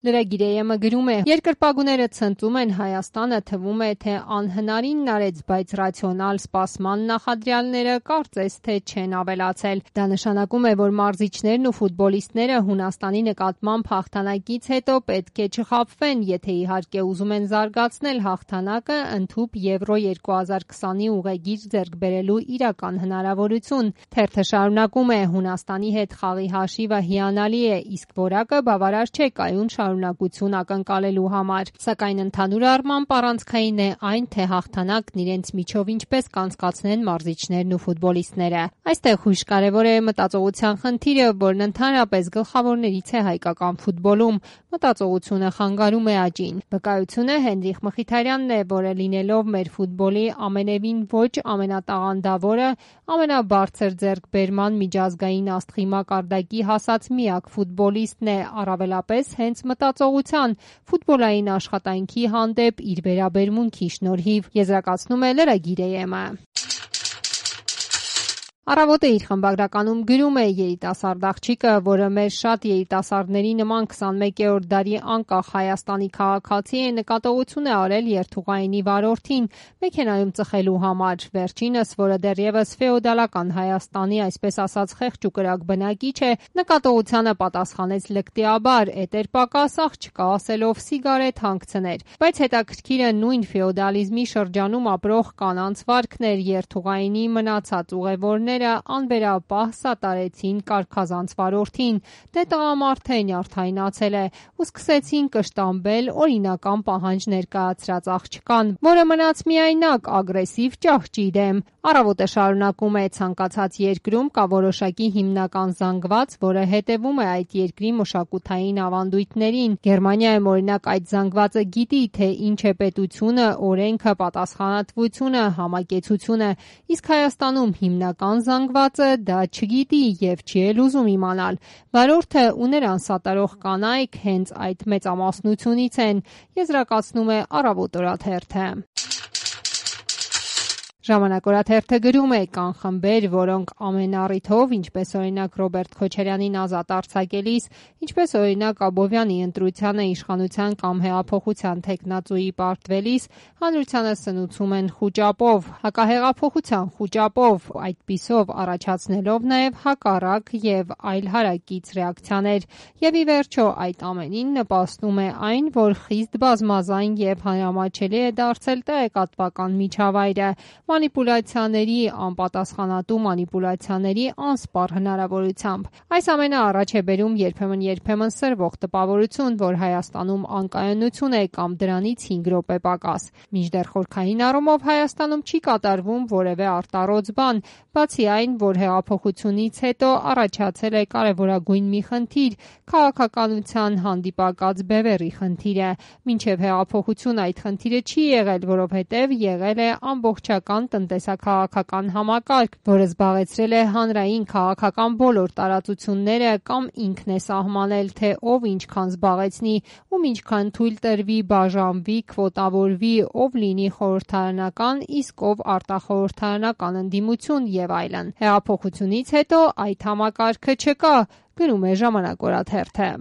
Լրագիրը գրում է. երկրպագուները ցնծում են Հայաստանը, թվում է, թե անհնարինն արեց, բայց ռացիոնալ սպասման նախադրյալները կարծես թե չեն ավելացել։ Դա նշանակում է, որ մարզիչներն ու ֆուտբոլիստները Հունաստանի նկատմամբ հաղթանակից հետո պետք է չխաբվեն, եթե իհարկե ուզում են զարգացնել հաղթանակը, ընդհուպ Եվրո 2020-ի ուղեգիր ձեռք բերելու իրական հնարավորություն։ Թերթը շարունակում է. Հունաստանի հետ խաղի հաշիվը հիանալի է, իսկ որակը բավարար չէ կայուն շարունակություն ակնկալելու համար, սակայն ընդհանուր առմամբ առանցքային է այն, թե հաղթանակն իրենց միջով ինչպես կանցկացնեն մարզիչներն ու ֆուտբոլիստները։ Այստեղ հույժ կարևոր է մտածողության խնդիրը, որն ընդհանրապես գլխավորներից է հայկական ֆուտբոլում։ Մտածողությունը խանգարում է աճին։ Վկայությունը Հենրիխ Մխիթարյանն է, որը լինելով մեր ֆուտբոլի ամենևին ոչ ամենատաղանդավորը, ամենաբարձր ձեռքբերման միջազգային աստղի մակարդակի հասած միակ ֆուտբոլիստն է, առավելապես հենց մտածողության, ֆուտբոլային աշխատանքի հանդեպ իր վերաբերմունքի շնորհիվ, եզրակացնում է լրագիր-ը։ Առավոտը իր խմբագրականում գրում է. երիտասարդ աղջիկը, որը մեր շատ երիտասարդների նման 21-րդ դարի անկախ Հայաստանի քաղաքացի է, նկատողություն է արել երթուղայինի վարորդին մեքենայում ծխելու համար։ Վերջինս, որը դեռևս ֆեոդալական Հայաստանի, այսպես ասած, խեղճ ու կրակ բնակիչ է, նկատողությանը պատասխանեց լկտիաբար, էտեր պակաս աղջկա ասելով սիգարետ հանգցներ։ Բայց հետաքրքիրը նույն ֆեոդալիզմի շրջանում ապրող կանանց վարքն էր, երթուղայինի մնացած ուղևորները անվերապահ սատարեցին կարգազանց վարորդին, դե տղամարդ է, նյարդայնացել է, ու սկսեցին կշտամբել օրինական պահանջ ներկայացրած աղջկան, որը մնաց միայնակ ագրեսիվ ճահճի դեմ։ Առավոտը շարունակում է. ցանկացած երկրում կա որոշակի հիմնական զանգված, որը հետևում է այդ երկրի մշակութային ավանդույթներին։ Գերմանիայում օրինակ այդ զանգվածը գիտի, թե ինչ է պետությունը, օրենքը, պատասխանատվությունը, համակեցությունը, իսկ Հայաստանում հիմնական զանգվածը դա չգիտի եւ չի էլ ուզում իմանալ։ Վարորդը ու նրան սատարող կանայք հենց այդ մեծամասնությունից են, եզրակացնում է Առավոտ օրաթերթը։ Ժամանակ օրաթերթը գրում է. կան խմբեր, որոնք ամեն առիթով, ինչպես օրինակ Ռոբերտ Քոչարյանին ազատ արձակելիս, ինչպես օրինակ Աբովյանի ընտրությանը իշխանության կամ հեղափոխության թեկնածուի պարտվելիս, հանրությանը սնուցում են խուճապով, հակահեղափոխության խուճապով, այդպիսով առաջացնելով նաև հակառակ եւ այլ հարակից ռեակցիաներ։ Եվ ի վերջո այդ ամենին նպաստում է այն, որ խիստ բազմազան եւ հանրամատչելի է դարձել տեղեկատվական միջավայրը, մանիպուլյացիաների, անպատասխանատու մանիպուլյացիաների անսպառ հնարավորությամբ։ Այս ամենը առաջ է բերում երբեմն սրվող տպավորություն, որ Հայաստանում անկայունություն է կամ դրանից 5 րոպե պակաս։ Մինչդեռ խորքային առումով Հայաստանում չի կատարվում որևէ արտառոց բան, բացի այն, որ հեղափոխությունից հետո առաջացել է կարևորագույն մի խնդիր՝ քաղաքականության հանդիպակաց բևեռի խնդիրը։ Մինչև հեղափոխություն այդ խնդիրը չի եղել, որովհետև եղել է ամբողջական տնտեսա-քաղաքական համակարգ, որը զբաղեցրել է հանրային քաղաքական բոլոր տարածությունները կամ ինքն է սահմանել, թե ով ինչքան զբաղեցնի, ում ինչքան թույլ տրվի, բաժանվի, քվոտավորվի, ով լինի խորհրդարանական, իսկ ով արտախորհրդարանական ընդդիմություն եւ այլն։ Հեղափոխությունից հետո այդ համակարգը չկա, գրում է Ժամանակ օրաթերթը։